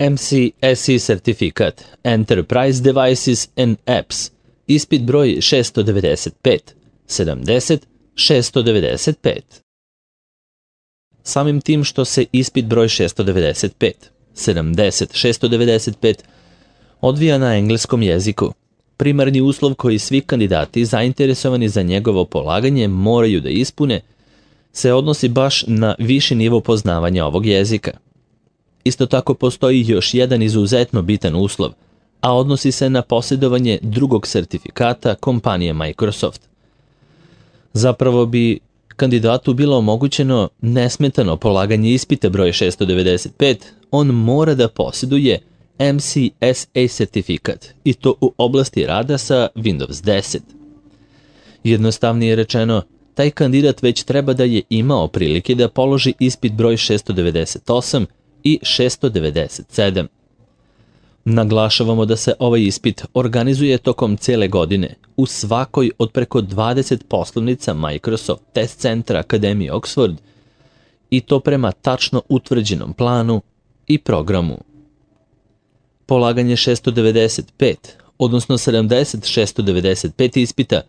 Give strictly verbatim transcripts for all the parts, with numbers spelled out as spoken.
M C S E sertifikat Enterprise Devices and Apps, ispit broj šesto devedeset pet, sedamdeset, šesto devedeset pet. Samim tim što se ispit broj šesto devedeset pet, sedamdeset, šesto devedeset pet odvija na engleskom jeziku, primarni uslov koji svi kandidati zainteresovani za njegovo polaganje moraju da ispune se odnosi baš na viši nivo poznavanja ovog jezika. Isto tako postoji još jedan izuzetno bitan uslov, a odnosi se na posjedovanje drugog sertifikata kompanije Microsoft. Zapravo bi kandidatu bilo omogućeno nesmetano polaganje ispita broj šesto devedeset pet, on mora da posjeduje M C S A sertifikat i to u oblasti rada sa Windows deset. Jednostavnije rečeno, taj kandidat već treba da je imao prilike da položi ispit broj šesto devedeset osam i šesto devedeset sedam. Naglašavamo da se ovaj ispit organizuje tokom cele godine u svakoj od preko dvadeset poslovnica Microsoft Test Centra Akademije Oxford i to prema tačno utvrđenom planu i programu. Polaganje šesto devedeset pet, odnosno sedamdeset šesto devedeset pet ispita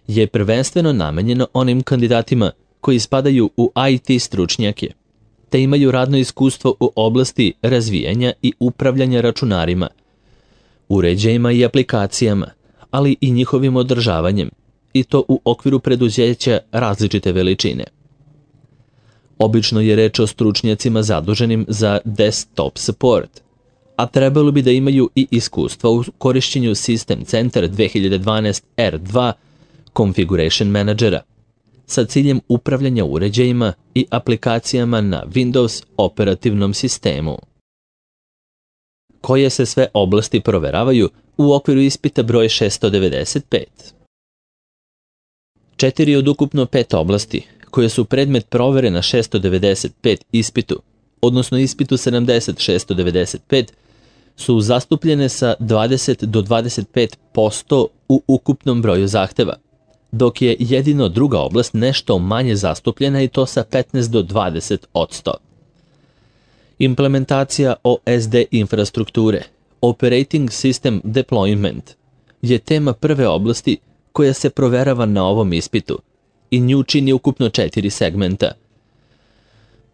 je prvenstveno namenjeno onim kandidatima koji spadaju u I T stručnjake, te imaju radno iskustvo u oblasti razvijanja i upravljanja računarima, uređajima i aplikacijama, ali i njihovim održavanjem, i to u okviru preduzeća različite veličine. Obično je reč o stručnjacima zaduženim za desktop support, a trebalo bi da imaju i iskustvo u korišćenju System Center dve hiljade dvanaest R dva Configuration Managera, sa ciljem upravljanja uređajima i aplikacijama na Windows operativnom sistemu. Koje se sve oblasti proveravaju u okviru ispita broj šesto devedeset pet? Četiri od ukupno pet oblasti, koje su predmet provere na šesto devedeset pet ispitu, odnosno ispitu sedamdeset šesto devedeset pet, su zastupljene sa dvadeset do dvadeset pet posto u ukupnom broju zahteva, dok je jedino druga oblast nešto manje zastupljena i to sa petnaest do dvadeset posto. Implementacija O S D infrastrukture, Operating System Deployment, je tema prve oblasti koja se proverava na ovom ispitu i nju čini ukupno četiri segmenta.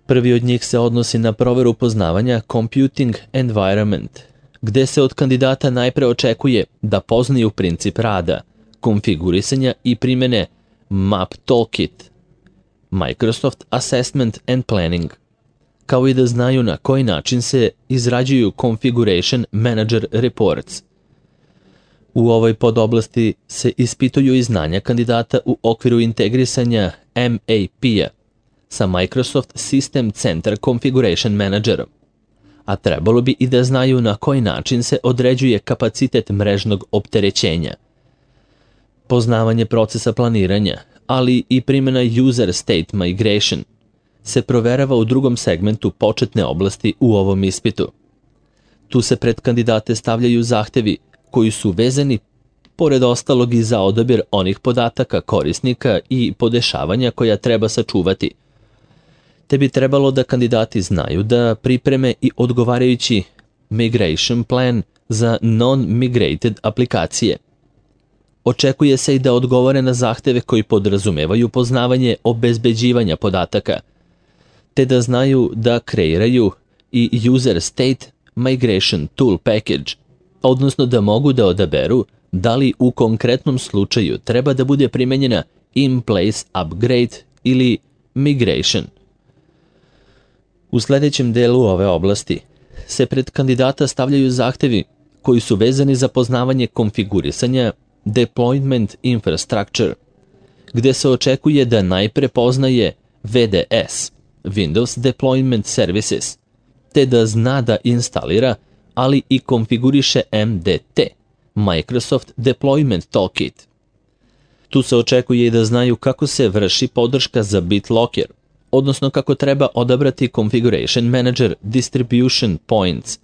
Prvi od njih se odnosi na proveru poznavanja Computing Environment, gde se od kandidata najpre očekuje da poznaju princip rada, konfigurisanja i primene Map Toolkit, Microsoft Assessment and Planning, kao i da znaju na koji način se izrađuju Configuration Manager Reports. U ovoj podoblasti se ispituju i znanja kandidata u okviru integrisanja M A P-a sa Microsoft System Center Configuration Managerom, a trebalo bi i da znaju na koji način se određuje kapacitet mrežnog opterećenja. Poznavanje procesa planiranja, ali i primjena User State Migration, se proverava u drugom segmentu početne oblasti u ovom ispitu. Tu se pred kandidate stavljaju zahtevi koji su vezani, pored ostalog, i za odabir onih podataka korisnika i podešavanja koja treba sačuvati, te bi trebalo da kandidati znaju da pripreme i odgovarajući migration plan za non-migrated aplikacije. Očekuje se i da odgovore na zahteve koji podrazumevaju poznavanje obezbeđivanja podataka, te da znaju da kreiraju i User State Migration Tool Package, odnosno da mogu da odaberu da li u konkretnom slučaju treba da bude primenjena In-Place Upgrade ili Migration. U sljedećem delu ove oblasti se pred kandidata stavljaju zahtevi koji su vezani za poznavanje konfigurisanja Deployment Infrastructure, gde se očekuje da najpre poznaje V D S, Windows Deployment Services, te da zna da instalira, ali i konfiguriše M D T, Microsoft Deployment Toolkit. Tu se očekuje i da znaju kako se vrši podrška za BitLocker, odnosno kako treba odabrati Configuration Manager Distribution Points,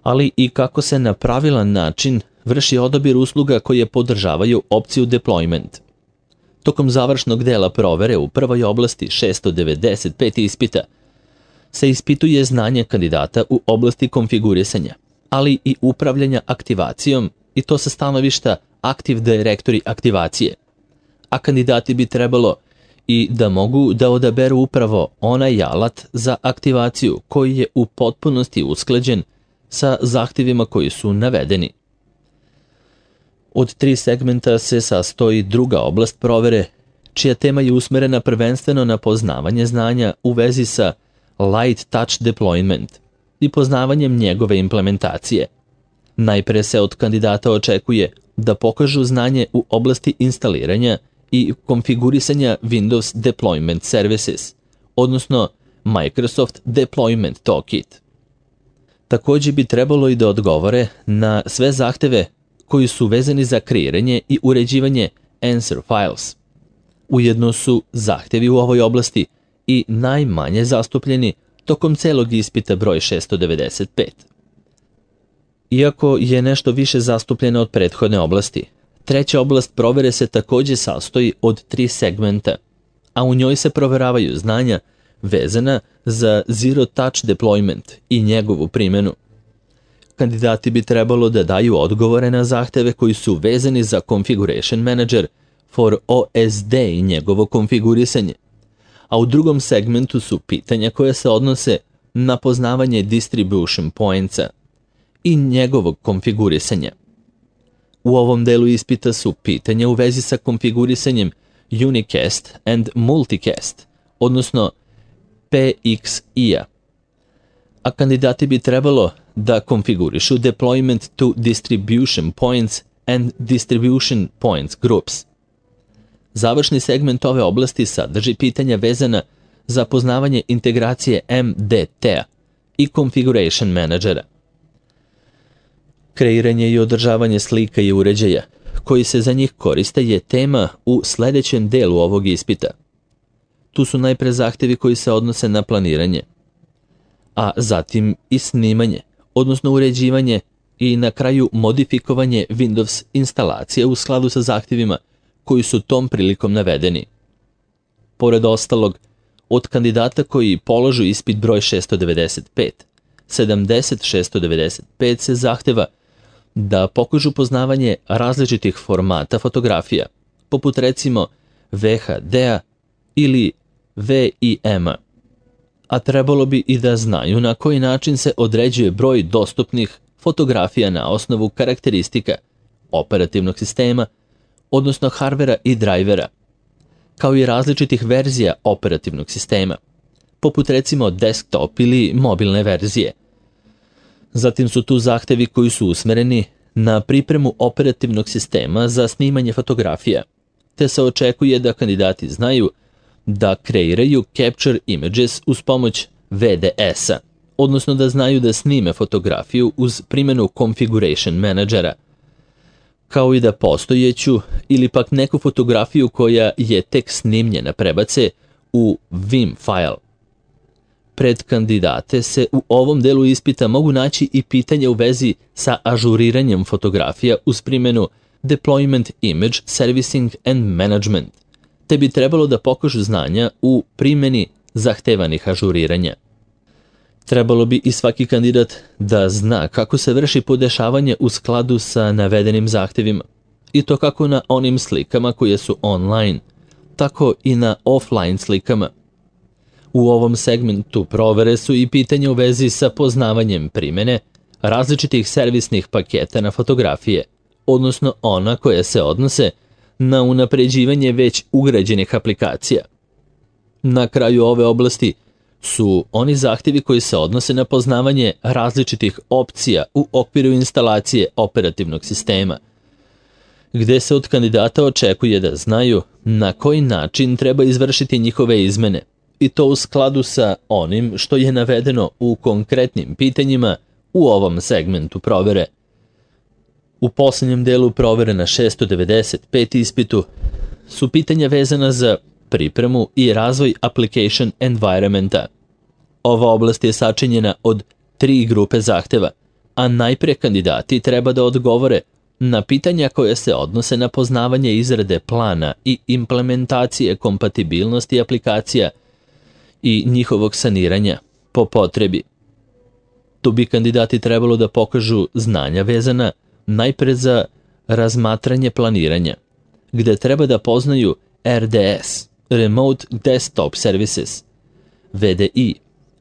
ali i kako se na pravilan način vrši odabir usluga koje podržavaju opciju Deployment. Tokom završnog dela provere u prvoj oblasti šesto devedeset pet ispita, se ispituje znanje kandidata u oblasti konfigurisanja, ali i upravljanja aktivacijom, i to sa stanovišta Active Directory aktivacije. A kandidati bi trebalo i da mogu da odaberu upravo onaj alat za aktivaciju koji je u potpunosti usklađen sa zahtjevima koji su navedeni. Od tri segmenta se sastoji druga oblast provere, čija tema je usmerena prvenstveno na poznavanje znanja u vezi sa Light Touch Deployment i poznavanjem njegove implementacije. Najpre se od kandidata očekuje da pokažu znanje u oblasti instaliranja i konfigurisanja Windows Deployment Services, odnosno Microsoft Deployment Toolkit. Također bi trebalo i da odgovore na sve zahteve koji su vezani za kreiranje i uređivanje Answer Files. Ujedno su zahtjevi u ovoj oblasti i najmanje zastupljeni tokom celog ispita broj šesto devedeset pet. Iako je nešto više zastupljeno od prethodne oblasti, treća oblast provere se također sastoji od tri segmenta, a u njoj se proveravaju znanja vezana za Zero Touch Deployment i njegovu primjenu. Kandidati bi trebalo da daju odgovore na zahteve koji su vezani za Configuration Manager for O S D i njegovo konfigurisanje, a u drugom segmentu su pitanja koje se odnose na poznavanje Distribution Pointsa i njegovog konfigurisanja. U ovom delu ispita su pitanja u vezi sa konfigurisanjem Unicast and Multicast, odnosno P X I-a, a kandidati bi trebalo da konfigurišu Deployment to Distribution Points and Distribution Points Groups. Završni segment ove oblasti sadrži pitanja vezana za poznavanje integracije M D T-a i Configuration Managera. Kreiranje i održavanje slika i uređaja koji se za njih koriste je tema u sljedećem delu ovog ispita. Tu su najpre zahtjevi koji se odnose na planiranje, a zatim i snimanje, odnosno uređivanje i na kraju modifikovanje Windows instalacije u skladu sa zahtjevima koji su tom prilikom navedeni. Pored ostalog, od kandidata koji položu ispit broj šesto devedeset pet, sedamdeset šesto devedeset pet se zahteva da pokažu poznavanje različitih formata fotografija, poput recimo V H D-a ili V I M-a, a trebalo bi i da znaju na koji način se određuje broj dostupnih fotografija na osnovu karakteristika operativnog sistema, odnosno hardvera i drajvera, kao i različitih verzija operativnog sistema, poput recimo desktop ili mobilne verzije. Zatim su tu zahtevi koji su usmereni na pripremu operativnog sistema za snimanje fotografija, te se očekuje da kandidati znaju da kreiraju Capture Images uz pomoć V D S-a, odnosno da znaju da snime fotografiju uz primjenu Configuration Managera, kao i da postojeću ili pak neku fotografiju koja je tek snimljena prebace u Vim file. Pred kandidate se u ovom delu ispita mogu naći i pitanja u vezi sa ažuriranjem fotografija uz primjenu Deployment Image Servicing and Management, te bi trebalo da pokažu znanja u primjeni zahtevanih ažuriranja. Trebalo bi i svaki kandidat da zna kako se vrši podešavanje u skladu sa navedenim zahtjevima, i to kako na onim slikama koje su online, tako i na offline slikama. U ovom segmentu provere su i pitanja u vezi sa poznavanjem primjene različitih servisnih paketa na fotografije, odnosno ona koje se odnose na unapređivanje već ugrađenih aplikacija. Na kraju ove oblasti su oni zahtjevi koji se odnose na poznavanje različitih opcija u okviru instalacije operativnog sistema, gdje se od kandidata očekuje da znaju na koji način treba izvršiti njihove izmene, i to u skladu sa onim što je navedeno u konkretnim pitanjima u ovom segmentu provere. U posljednjem delu provere na šesto devedeset pet ispitu su pitanja vezana za pripremu i razvoj application environmenta. Ova oblast je sačinjena od tri grupe zahteva, a najprije kandidati treba da odgovore na pitanja koje se odnose na poznavanje izrade plana i implementacije kompatibilnosti aplikacija i njihovog saniranja, po potrebi. Tu bi kandidati trebalo da pokažu znanja vezana najpre za razmatranje planiranja, gde treba da poznaju R D S, Remote Desktop Services, V D I,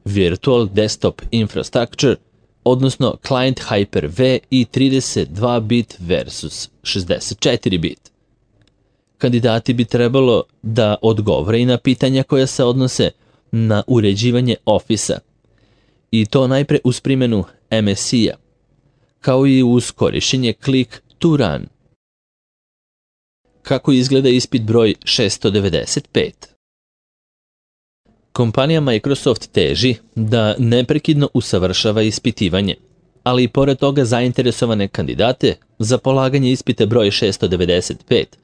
Virtual Desktop Infrastructure, odnosno Client Hyper-V i trideset dva bit versus šezdeset četiri bit. Kandidati bi trebalo da odgovore i na pitanja koja se odnose na uređivanje Office-a, i to najpre uz primjenu M S I-a, kao i uz korišćenje Click to Run. Kako izgleda ispit broj šesto devedeset pet? Kompanija Microsoft teži da neprekidno usavršava ispitivanje, ali i pored toga zainteresovane kandidate za polaganje ispita broj šesto devedeset pet,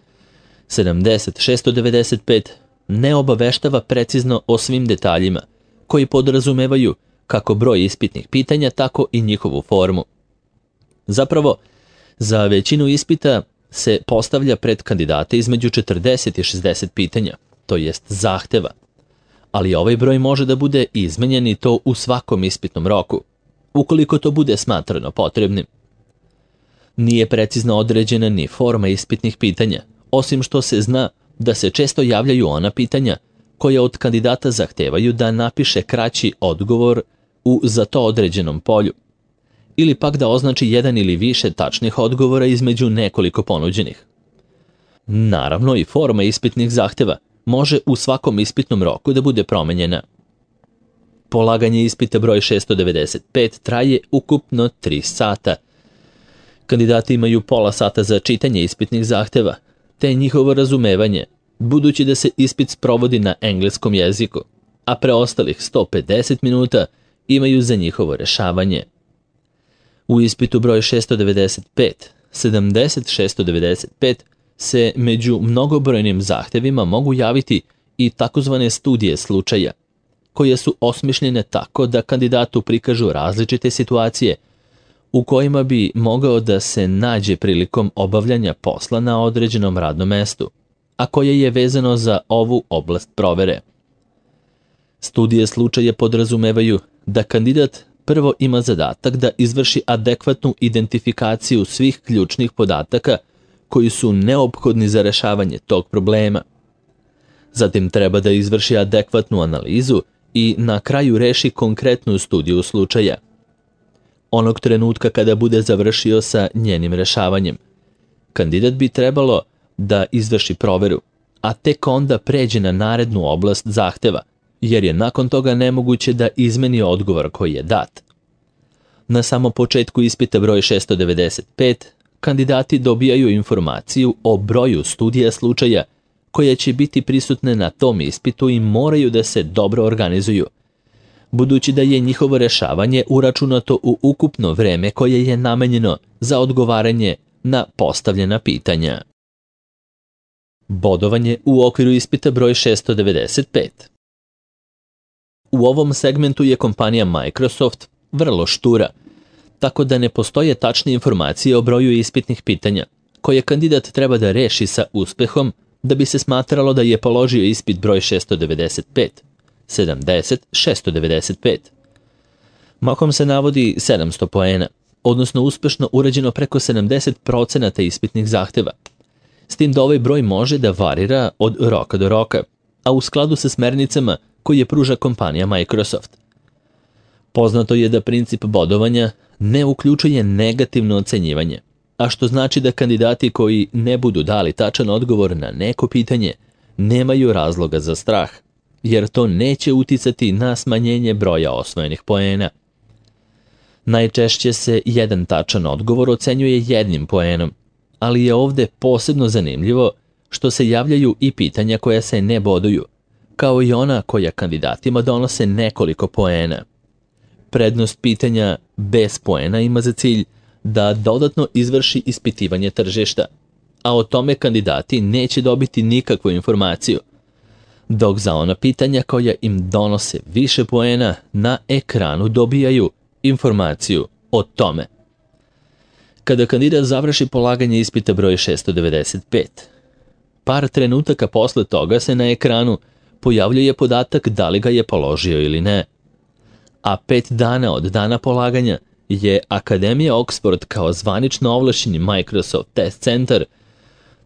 sedamdeset šesto devedeset pet ne obaveštava precizno o svim detaljima koji podrazumevaju kako broj ispitnih pitanja, tako i njihovu formu. Zapravo, za većinu ispita se postavlja pred kandidate između četrdeset i šezdeset pitanja, to jest zahteva, ali ovaj broj može da bude izmenjen i to u svakom ispitnom roku, ukoliko to bude smatrano potrebnim. Nije precizno određena ni forma ispitnih pitanja, osim što se zna da se često javljaju ona pitanja koja od kandidata zahtevaju da napiše kraći odgovor u za to određenom polju, ili pak da označi jedan ili više tačnih odgovora između nekoliko ponuđenih. Naravno, i forma ispitnih zahteva može u svakom ispitnom roku da bude promenjena. Polaganje ispita broj šesto devedeset pet traje ukupno tri sata. Kandidati imaju pola sata za čitanje ispitnih zahteva, te njihovo razumevanje, budući da se ispit sprovodi na engleskom jeziku, a preostalih sto pedeset minuta imaju za njihovo rešavanje. U ispitu broj šesto devedeset pet, sedamdeset šesto devedeset pet se među mnogobrojnim zahtevima mogu javiti i takozvane studije slučaja, koje su osmišljene tako da kandidatu prikažu različite situacije u kojima bi mogao da se nađe prilikom obavljanja posla na određenom radnom mestu, a koje je vezano za ovu oblast provere. Studije slučaja podrazumevaju da kandidat prvo ima zadatak da izvrši adekvatnu identifikaciju svih ključnih podataka koji su neophodni za rešavanje tog problema. Zatim treba da izvrši adekvatnu analizu i na kraju reši konkretnu studiju slučaja. Onog trenutka kada bude završio sa njenim rešavanjem, kandidat bi trebalo da izvrši proveru, a tek onda pređe na narednu oblast zahteva, jer je nakon toga nemoguće da izmeni odgovor koji je dat. Na samom početku ispita broj šesto devedeset pet, kandidati dobijaju informaciju o broju studija slučaja koje će biti prisutne na tom ispitu i moraju da se dobro organizuju, budući da je njihovo rešavanje uračunato u ukupno vreme koje je namenjeno za odgovaranje na postavljena pitanja. Bodovanje u okviru ispita broj šesto devedeset pet. U ovom segmentu je kompanija Microsoft vrlo štura, tako da ne postoje tačne informacije o broju ispitnih pitanja, koje kandidat treba da reši sa uspehom da bi se smatralo da je položio ispit broj šesto devedeset pet, sedamdeset šesto devedeset pet. Mahom se navodi sedamsto poena, odnosno uspešno urađeno preko sedamdeset procenata ispitnih zahteva, s tim da ovaj broj može da varira od roka do roka, a u skladu sa smernicama koje pruža kompanija Microsoft. Poznato je da princip bodovanja ne uključuje negativno ocenjivanje, a što znači da kandidati koji ne budu dali tačan odgovor na neko pitanje nemaju razloga za strah, jer to neće uticati na smanjenje broja osvojenih poena. Najčešće se jedan tačan odgovor ocenjuje jednim poenom, ali je ovde posebno zanimljivo što se javljaju i pitanja koja se ne boduju, kao i ona koja kandidatima donose nekoliko poena. Prednost pitanja bez poena ima za cilj da dodatno izvrši ispitivanje tržišta, a o tome kandidati neće dobiti nikakvu informaciju, dok za ona pitanja koja im donose više poena na ekranu dobijaju informaciju o tome. Kada kandidat završi polaganje ispita broj šesto devedeset pet, par trenutaka posle toga se na ekranu pojavljuje podatak da li ga je položio ili ne. a pet dana od dana polaganja je Akademija Oxford kao zvanično ovlašćeni Microsoft Test Center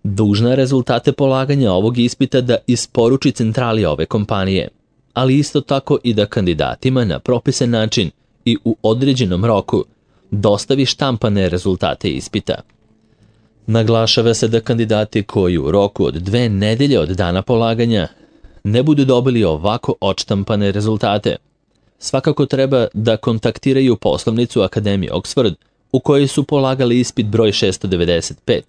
dužna rezultate polaganja ovog ispita da isporuči centrali ove kompanije, ali isto tako i da kandidatima na propisan način i u određenom roku dostavi štampane rezultate ispita. Naglašava se da kandidati koji u roku od dve nedelje od dana polaganja ne budu dobili ovako odštampane rezultate, svakako treba da kontaktiraju poslovnicu Akademije Oxford u kojoj su polagali ispit broj šesto devedeset pet,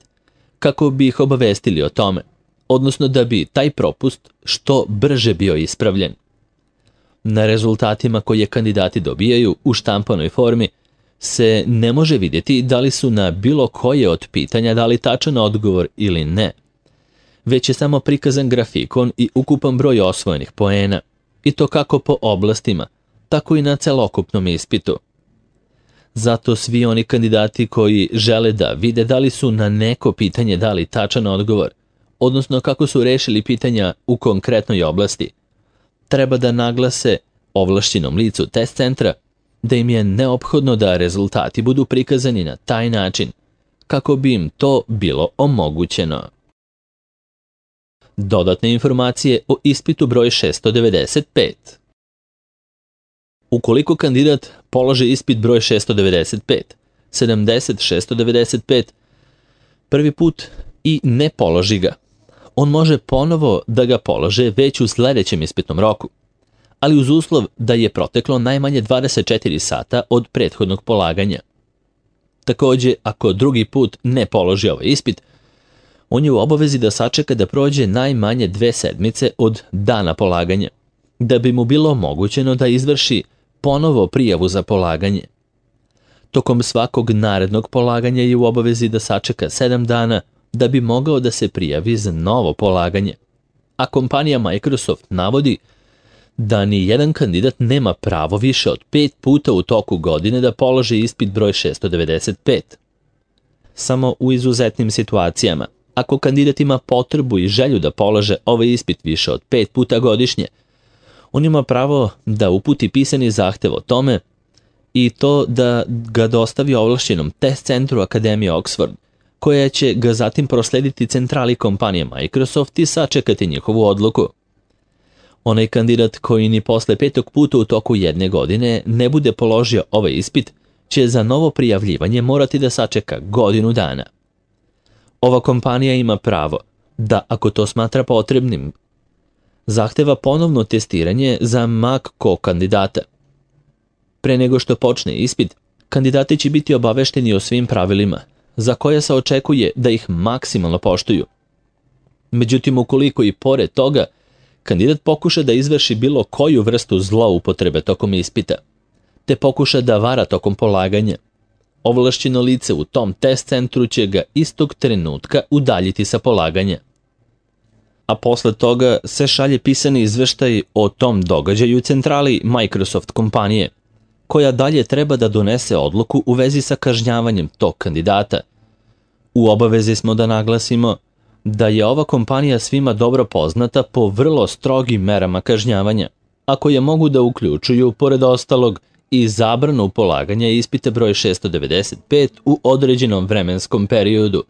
kako bi ih obavestili o tome, odnosno da bi taj propust što brže bio ispravljen. Na rezultatima koje kandidati dobijaju u štampanoj formi se ne može vidjeti da li su na bilo koje od pitanja dali tačan odgovor ili ne, već je samo prikazan grafikon i ukupan broj osvojenih poena, i to kako po oblastima, tako i na celokupnom ispitu. Zato svi oni kandidati koji žele da vide da li su na neko pitanje dali tačan odgovor, odnosno kako su rešili pitanja u konkretnoj oblasti, treba da naglase ovlašćenom licu test centra da im je neophodno da rezultati budu prikazani na taj način, kako bi im to bilo omogućeno. Dodatne informacije o ispitu broj šesto devedeset pet. Ukoliko kandidat položi ispit broj šesto devedeset pet, sedamdeset šesto devedeset pet prvi put i ne položi ga, on može ponovo da ga polože već u sljedećem ispitnom roku, ali uz uslov da je proteklo najmanje dvadeset četiri sata od prethodnog polaganja. Također, ako drugi put ne položi ovaj ispit, on je u obavezi da sačeka da prođe najmanje dve sedmice od dana polaganja, da bi mu bilo omogućeno da izvrši ponovo prijavu za polaganje. Tokom svakog narednog polaganja je u obavezi da sačeka sedam dana da bi mogao da se prijavi za novo polaganje. A kompanija Microsoft navodi da ni jedan kandidat nema pravo više od pet puta u toku godine da položi ispit broj šesto devedeset pet. Samo u izuzetnim situacijama, ako kandidat ima potrebu i želju da polože ovaj ispit više od pet puta godišnje, on ima pravo da uputi pisani zahtev o tome i to da ga dostavi ovlašćenom test centru Akademije Oxford, koja će ga zatim proslediti centrali kompanije Microsoft i sačekati njihovu odluku. Onaj kandidat koji ni posle petog puta u toku jedne godine ne bude položio ovaj ispit, će za novo prijavljivanje morati da sačeka godinu dana. Ova kompanija ima pravo da, ako to smatra potrebnim, zahteva ponovno testiranje za ma ko kandidata. Pre nego što počne ispit, kandidati će biti obavešteni o svim pravilima, za koje se očekuje da ih maksimalno poštuju. Međutim, ukoliko i pored toga kandidat pokuša da izvrši bilo koju vrstu zloupotrebe tokom ispita, te pokuša da vara tokom polaganja, ovlašćeno lice u tom test centru će ga istog trenutka udaljiti sa polaganja. A posle toga se šalje pisani izveštaj o tom događaju centrali Microsoft kompanije, koja dalje treba da donese odluku u vezi sa kažnjavanjem tog kandidata. U obavezi smo da naglasimo da je ova kompanija svima dobro poznata po vrlo strogim merama kažnjavanja, a koje mogu da uključuju, pored ostalog, i zabranu polaganja ispita broj šesto devedeset pet u određenom vremenskom periodu,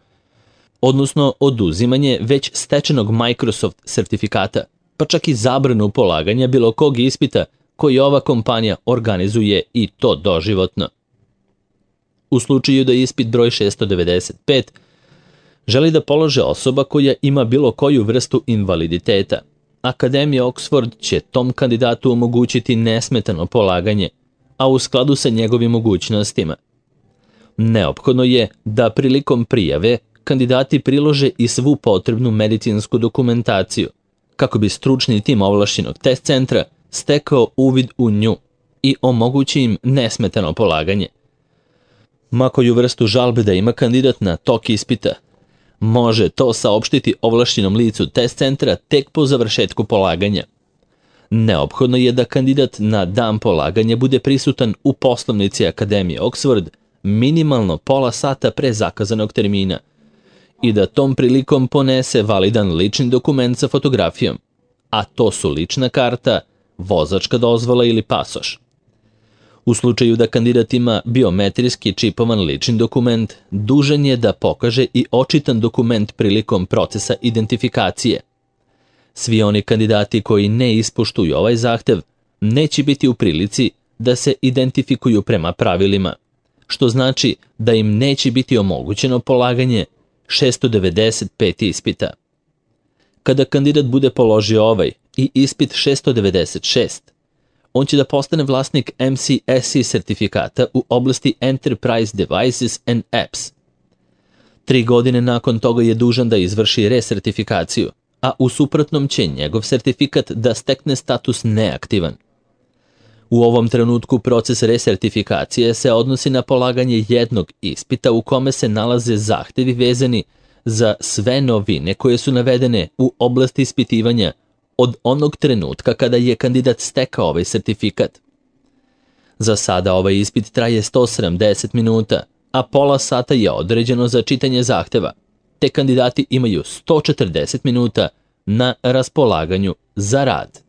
odnosno oduzimanje već stečenog Microsoft sertifikata, pa čak i zabranu polaganja bilo kog ispita koji ova kompanija organizuje, i to doživotno. U slučaju da ispit broj šesto devedeset pet želi da polože osoba koja ima bilo koju vrstu invaliditeta, Akademija Oxford će tom kandidatu omogućiti nesmetano polaganje, a u skladu sa njegovim mogućnostima. Neophodno je da prilikom prijave kandidati prilože i svu potrebnu medicinsku dokumentaciju, kako bi stručni tim ovlašćenog test centra stekao uvid u nju i omogući im nesmetano polaganje. Ma koju vrstu žalbe da ima kandidat na tok ispita, može to saopštiti ovlašćenom licu test centra tek po završetku polaganja. Neophodno je da kandidat na dan polaganja bude prisutan u poslovnici Akademije Oxford minimalno pola sata pre zakazanog termina i da tom prilikom ponese validan lični dokument sa fotografijom, a to su lična karta, vozačka dozvola ili pasoš. U slučaju da kandidat ima biometrijski čipovan lični dokument, dužan je da pokaže i očitan dokument prilikom procesa identifikacije. Svi oni kandidati koji ne ispoštuju ovaj zahtev neće biti u prilici da se identifikuju prema pravilima, što znači da im neće biti omogućeno polaganje šesto devedeset pet ispita. Kada kandidat bude položio ovaj i ispit šesto devedeset šest, on će da postane vlasnik M C S E sertifikata u oblasti Enterprise Devices and Apps. Tri godine nakon toga je dužan da izvrši resertifikaciju, a u suprotnom će njegov sertifikat da stekne status neaktivan. U ovom trenutku proces resertifikacije se odnosi na polaganje jednog ispita u kome se nalaze zahtevi vezani za sve novine koje su navedene u oblasti ispitivanja od onog trenutka kada je kandidat stekao ovaj sertifikat. Za sada ovaj ispit traje sto sedamdeset minuta, a pola sata je određeno za čitanje zahteva, te kandidati imaju sto četrdeset minuta na raspolaganju za rad.